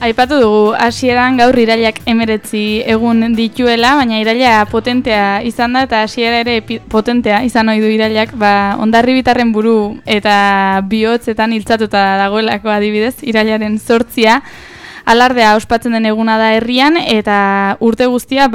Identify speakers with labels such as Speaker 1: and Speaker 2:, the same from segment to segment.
Speaker 1: Aipatu dugu hasieran gaur irailak 19 egun dituela, baina iraila potentea izan da eta hasiera ere potentea izan ohi du irailak, Hondarribitarren buru eta bihotzetan hiltzatuta dagoelako adibidez, irailaren 8 alardea ospatzen den eguna da herrian eta urte guztia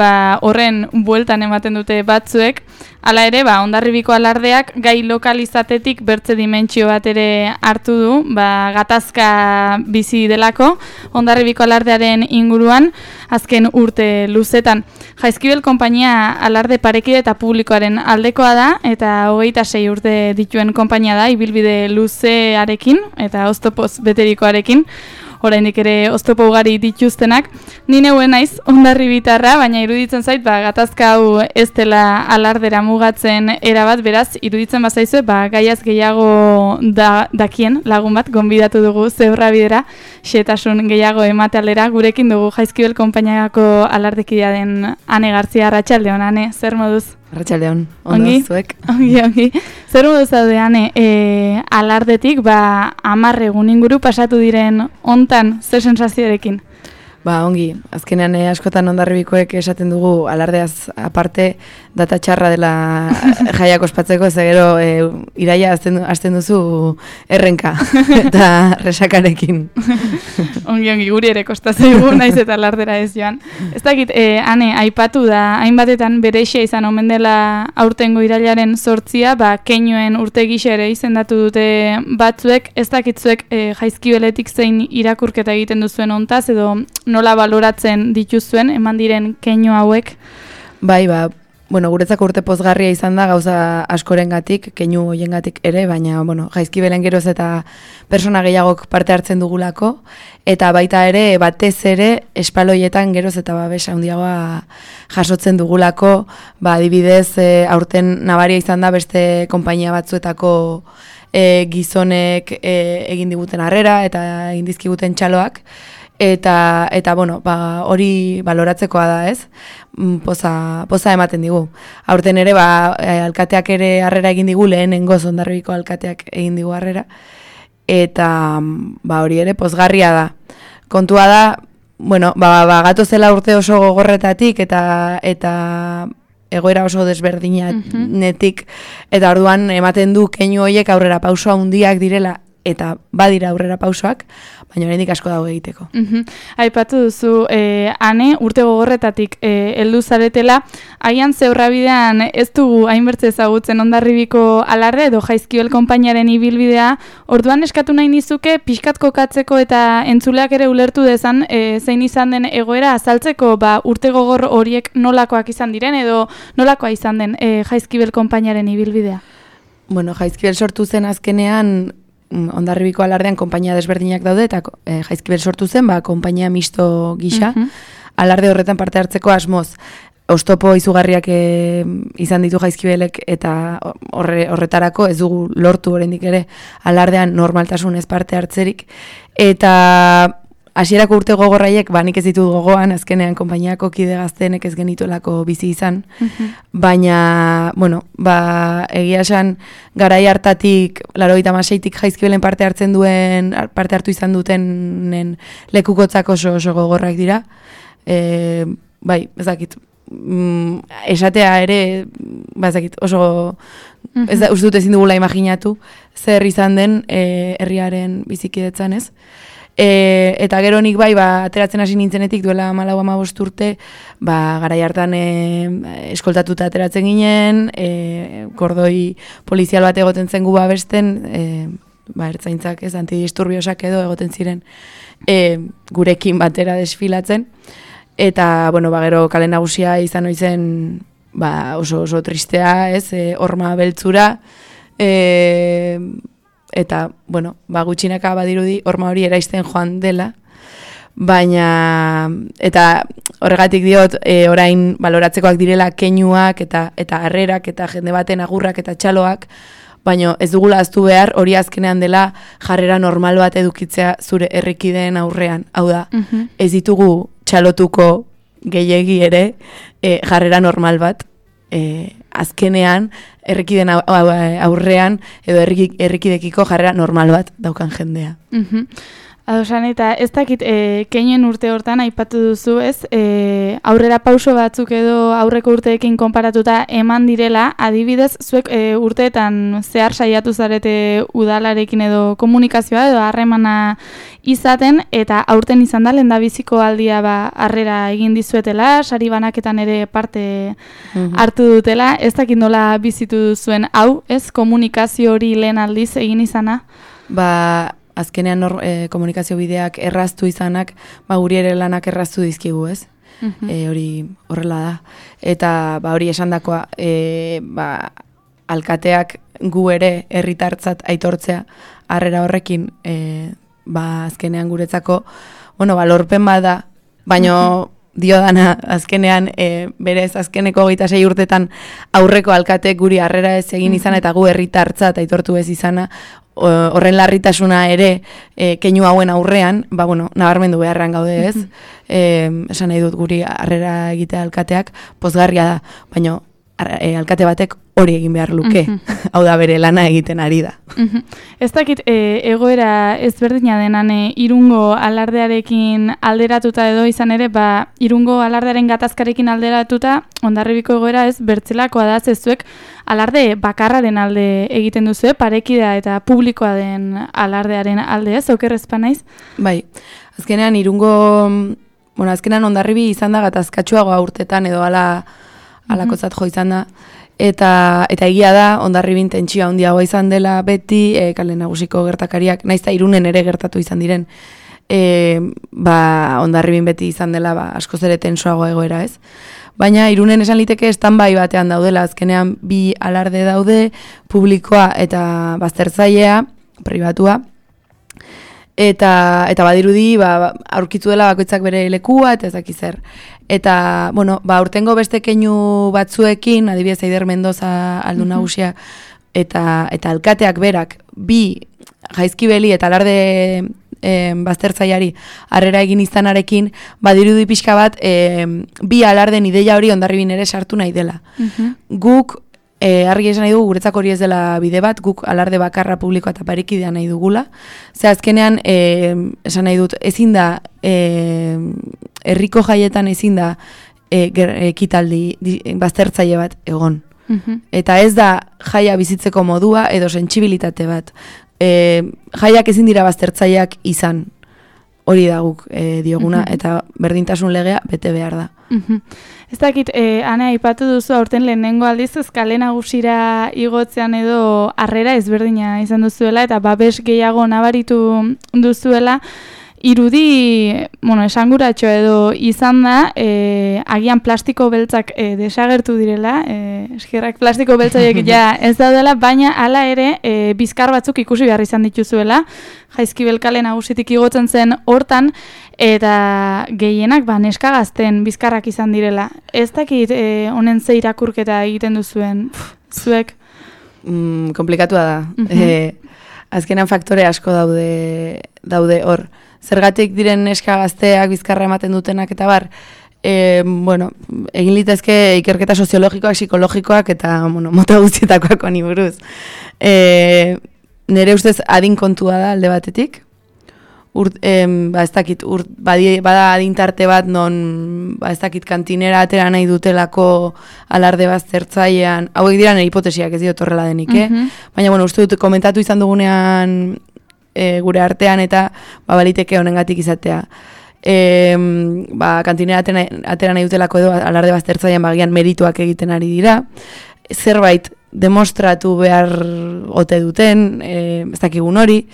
Speaker 1: horren bueltan ematen dute batzuek. Hala ere, Hondarribiko alardeak gai lokalizatetik bertze dimentsio bat ere hartu du, gatazka bizi delako Hondarribiko alardearen inguruan azken urte luzetan. Jaizkibel konpainia alarde parekide eta publikoaren aldekoa da eta 26 urte dituen konpainia da, ibilbide luzearekin eta oztopoz beterikoarekin. Oraindik ere oztopo ugari dituztenak. Ni neuen naiz Hondarribitarra, baina iruditzen zait gatazka hau ez dela alardera mugatzen erabat, beraz iruditzen bazaizue gaiaz gehiago dakien lagun bat gonbidatu dugu Zebrabidera, xehetasun gehiago ematealera. Gurekin dugu Jaizkibel konpainiako alardekidea den Ane Gartzia. Arratsaldeon, Ane, zer moduz?
Speaker 2: Arratsaldeon, ondo zuek.
Speaker 1: Ongi. Zer moduz daude, Ane, alardetik 10 egun inguru pasatu diren hontan, zer sensazioarekin?
Speaker 2: Ongi, azkenean askotan Hondarribikoek esaten dugu alardeaz aparte data txarra dela jaiak ospatzeko, ez gero iraila hasten duzu errenka eta resakarekin.
Speaker 1: Ongi, guri ere kostazaigu naiz eta alardera ez joan. Ez dakit, Ane, aipatu da, hainbatetan bereixa izan omen dela aurtengo irailaren 8, keinuen urte gisa ere izendatu dute batzuek, ez dakitzuek Jaizkibeletik zein irakurketa egiten duzuen hontaz, edo nola baloratzen dituzuen, eman diren keinu hauek?
Speaker 2: Guretzako urte pozgarria izan da gauza askorengatik, keinu hoiengatik ere, baina, Jaizkibelen geroz eta persona gehiagok parte hartzen dugulako, eta baita ere, batez ere, espaloietan geroz eta babes handiagoa jasotzen dugulako, adibidez, aurten nabaria izan da beste konpainia batzuetako gizonek egin diguten harrera eta egin dizkiguten txaloak, eta hori baloratzekoa da, ez? Poza ematen digu. Aurten ere, alkateak ere harrera egin digu, lehenengoz Hondarribiko alkateak egin digu harrera, eta hori ere pozgarria da. Kontua da, gatozela urte oso gogorretatik eta egoera oso desberdinanetik, eta orduan ematen du keinu horiek aurrera pauso handiak direla, eta badira aurrera pausoak, baina oraindik asko dago egiteko.
Speaker 1: Aipatu duzu, Ane, urte gogorretatik heldu zaretela, haian Zebrabidean ez dugu hainbertze ezagutzen Hondarribiko alarde edo Jaizkibel konpainiaren ibilbidea, orduan eskatu nahi nizuke pixkat kokatzeko eta entzuleak ere ulertu dezan zein izan den egoera azaltzeko urte gogor horiek nolakoak izan diren edo nolakoa izan den Jaizkibel konpainiaren ibilbidea?
Speaker 2: Jaizkibel sortu zen azkenean Hondarribiko alardean konpainia desberdinak daude eta Jaizkibel sortu zen, konpainia misto gisa, alarde horretan parte hartzeko asmoz. Oztopo izugarriak izan ditu Jaizkibelek eta horretarako ez dugu lortu oraindik ere alardean normaltasunez parte hartzerik. Eta hasierako urte gogorraiek, nik ez ditut gogoan, azkenean konpainiako kide gazteenek ez genituelako bizi izan, baina, egia esan, garai hartatik, 86tik Jaizkibelen parte hartu izan dutenen lekukotzak oso gogorrak dira. Ez dakit, esatea ere, oso, uste dut ezin dugula imaginatu, zer izan den herriaren bizikidetzan, ez? Eta gero nik ateratzen hasi nintzenetik duela 14-15 urte, garai hartan eskoltatuta ateratzen ginen, kordoi polizial bat egoten zen gu babesten, ertzaintzak ez, antidisturbiosak edo egoten ziren gurekin batera desfilatzen, eta gero kale nagusia izan oizen oso tristea, ez, horma beltzura, eta, gutxinaka badirudi horma hori eraisten joan dela, baina, eta horregatik diot, orain baloratzekoak direla keinuak eta harrerak eta jende baten agurrak eta txaloak, baina ez dugula ahaztu behar hori azkenean dela jarrera normal bat edukitzea zure herrikideen aurrean. Hau da, ez ditugu txalotuko gehiegi ere jarrera normal bat, azkenean herrikiden aurrean edo herrikidekiko jarrera normal bat daukan jendea.
Speaker 1: Adosan, eta ez dakit keinuen urte hortan aipatu duzu, ez? Aurrera pauso batzuk edo aurreko urteekin konparatuta eman direla, adibidez, zuek urteetan zehar saiatu zarete udalarekin edo komunikazioa edo harremana izaten, eta aurten izan da lehendabiziko aldia harrera egin dizuetela, sari banaketan ere parte hartu dutela, ez dakit nola bizitu duzuen hau, ez? Komunikazio hori lehen aldiz egin izana?
Speaker 2: Azkenean komunikazio bideak erraztu izanak, guri ere lanak erraztu dizkigu, ez? Hori horrela da. Eta hori esandakoa, alkateak gu ere herritartzat aitortzea harrera horrekin, azkenean guretzako, lorpen bada, baino diodana azkenean berez azkeneko 26 urtetan aurreko alkatek guri harrera ez egin izana eta gu herritartzat aitortu ez izana, horren larritasuna ere keinu hauen aurrean, nabarmendu beharrean gaude ez, esan nahi dut guri harrera egitea alkateak pozgarria da, baina alkate batek hori egin behar luke, hau da bere lana egiten ari da.
Speaker 1: Ez dakit egoera ezberdina denan Irungo alardearekin alderatuta edo izan ere, Irungo alardearen gatazkarekin alderatuta, Hondarribiko egoera ez bertzelakoa da, zezuek alarde bakarraren alde egiten duzu, parekidea eta publikoa den alardearen alde ez, okerrezpa naiz?
Speaker 2: Bai, azkenean Irungo, azkenean Hondarribi izan da gatazkatsuagoa urtetan edo alakotzat jo izan da, eta egia da Hondarribin tentsio handiagoa izan dela beti, kale nagusiko gertakariak, naiz eta Irunen ere gertatu izan diren, Hondarribin beti izan dela askoz ere tensoago egoera ez. Baina Irunen esan liteke standby batean daudela, azkenean bi alarde daude, publikoa eta baztertzailea, pribatua, eta badirudi aurkitu dela bakoitzak bere lekua eta ez daki zer. Eta, urtengo beste keinu batzuekin, adibidez Eider Mendoza aldu nagusia, eta alkateak berak, bi Jaizkibeli eta alarde baztertzaileari harrera egin izanarekin, badirudi pixka bat, bi alarden ideia hori Hondarribin ere sartu nahi dela. Guk, argi esan nahi dugu, guretzako hori ez dela bide bat, guk alarde bakarra publikoa eta parekidea nahi dugula. Ze azkenean, esan nahi dut, ezin da, herriko jaietan ezin da ekitaldi baztertzaile bat egon. Eta ez da jaia bizitzeko modua edo sentsibilitate bat. Jaiak ezin dira baztertzaileak izan. Hori da guk dioguna, eta berdintasun legea bete behar da.
Speaker 1: Ez dakit, Ana, aipatu duzu aurten lehenengo aldiz kale nagusira igotzean edo harrera ezberdina izan duzuela, eta babes gehiago nabaritu duzuela, irudi, esanguratxo edo izan da, agian plastiko beltzak desagertu direla, eskerrak plastiko beltzaiek ja ez daudela, baina hala ere bizkar batzuk ikusi behar izan dituzuela, Jaizkibel kale nagusitik igotzen zen hortan, eta gehienak neska gazten bizkarrak izan direla. Ez dakit honen ze irakurketa egiten duzuen, zuek?
Speaker 2: Komplikatua da. Azkenan faktore asko daude hor. Zergatik diren neska gazteak bizkarra ematen dutenak eta bar, egin litezke ikerketa soziologikoak, psikologikoak eta mota guztietakoak honi buruz. Nere ustez adin kontua da alde batetik. Ez dakit, bada adintarte bat non, ez dakit, kantinera atera nahi dutelako alarde baztertzailean, hauek dira nire hipotesiak ez diot horrela denik, Baina, uste dut komentatu izan dugunean gure artean eta baliteke honengatik izatea. Kantinera atera nahi dutelako edo alarde baztertzailean bagian merituak egiten ari dira. Zerbait demostratu behar ote duten, ez dakigun hori,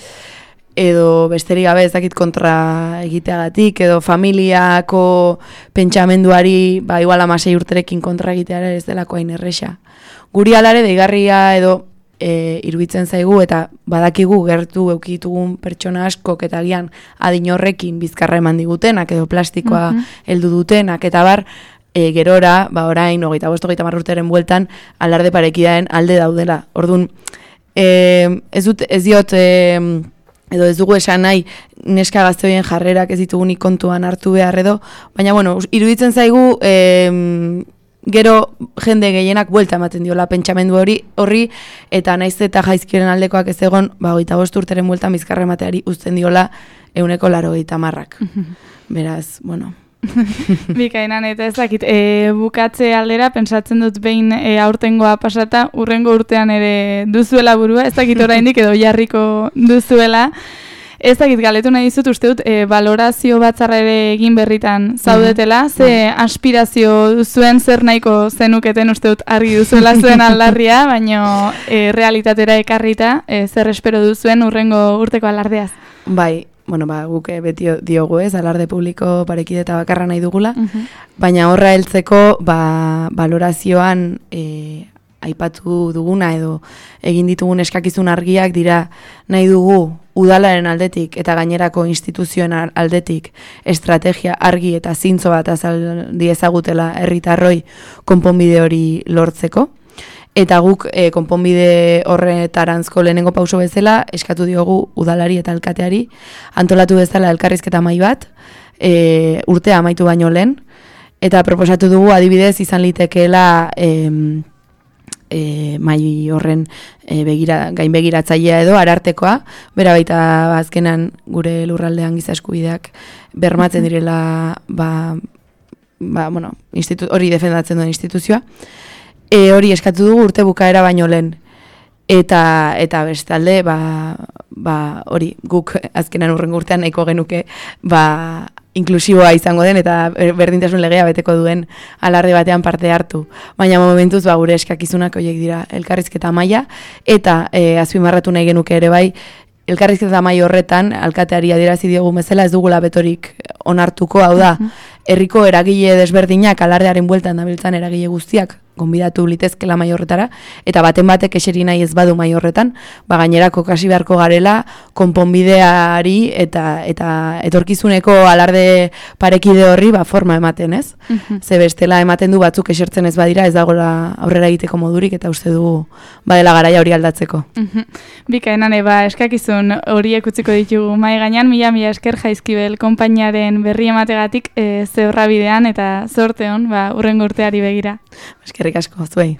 Speaker 2: edo besterik gabe ez dakit kontra egiteagatik, edo familiako pentsamenduari, igual 16 urterekin kontra egiteara ez delako hain erresa. Guri alare deigarria edo iruditzen zaigu eta badakigu gertu eukitugun pertsona askok eta agian adin horrekin bizkarra eman digutenak edo plastikoa heldu dutenak eta bar, gerora, orain, 25-30 urteren bueltan, alarde parekidaen alde daudela. Orduan, ez diot, edo ez dugu esan nahi, neska gazte horien jarrerak ez ditugunik kontuan hartu behar edo, baina, iruditzen zaigu, gero jende gehienak buelta ematen diola pentsamendu horri, eta naiz eta Jaizkibelen aldekoak ez egon, 25 urteren bueltan bizkarra emateari uzten diola 180%. Beraz, bueno...
Speaker 1: Bikainan, eta ez dakit, bukatze aldera, pentsatzen dut behin aurtengoa pasata, urrengo urtean ere duzuela burua, ez dakit oraindik edo jarriko duzuela. Ez dakit, galetu nahi dizut, uste dut, valorazio batzarra ere egin berritan zaudetela, ze aspirazio duzuen zer nahiko zenuketen uste dut argi duzuela zuen aldarria, baina realitatera ekarrita, zer espero duzuen urrengo urteko alardeaz.
Speaker 2: Bai, bueno, guk beti diogu ez, alarde publiko parekide eta bakarra nahi dugula, baina horra heltzeko, valorazioan aipatu duguna edo egin ditugun eskakizun argiak dira nahi dugu udalaren aldetik eta gainerako instituzioen aldetik estrategia argi eta zintzo bat azaldi ezagutela herritarroi konponbide hori lortzeko. Eta guk konponbide horretaranzko lehenengo pauso bezala eskatu diogu udalari eta alkateari antolatu bezala elkarrizketa mahai bat urtea amaitu baino lehen. Eta proposatu dugu adibidez izan litekeela mai horren gain begiratzailea edo arartekoa, bera baita azkenan gure lurraldean giza eskubideak bermatzen direla hori defendatzen duen instituzioa. Hori eskatu dugu urte bukaera baino lehen. Eta bestalde, hori guk azkenan urrengo urtean nahiko genuke inklusiboa izango den eta berdintasun legea beteko duen alarde batean parte hartu. Baina momentuz gure eskakizunak horiek dira elkarrizketa maila eta azpimarratu nahi genuke ere bai elkarrizketa maila horretan alkateari adierazi diogu bezala ez dugula betorik onartuko, hau da, herriko eragile desberdinak alardearen bueltan dabiltzan eragile guztiak gonbidatu litezkela mai horretara, eta baten batek eseri nahi ez badu mai horretan, gainerako kasi beharko garela konponbideari eta etorkizuneko alarde parekide horri forma ematen, ez? Ze bestela ematen du batzuk esertzen ez badira, ez dagoela aurrera egiteko modurik, eta uste dugu badela garaia hori aldatzeko.
Speaker 1: Bikaenan, eskakizun horiek utziko ditugu mai gainean, mila esker Jaizkibel konpainiaren berri emategatik zeurra bidean eta zorte hon, urrengo urteari begira.
Speaker 2: Eskerrik asko, zuei.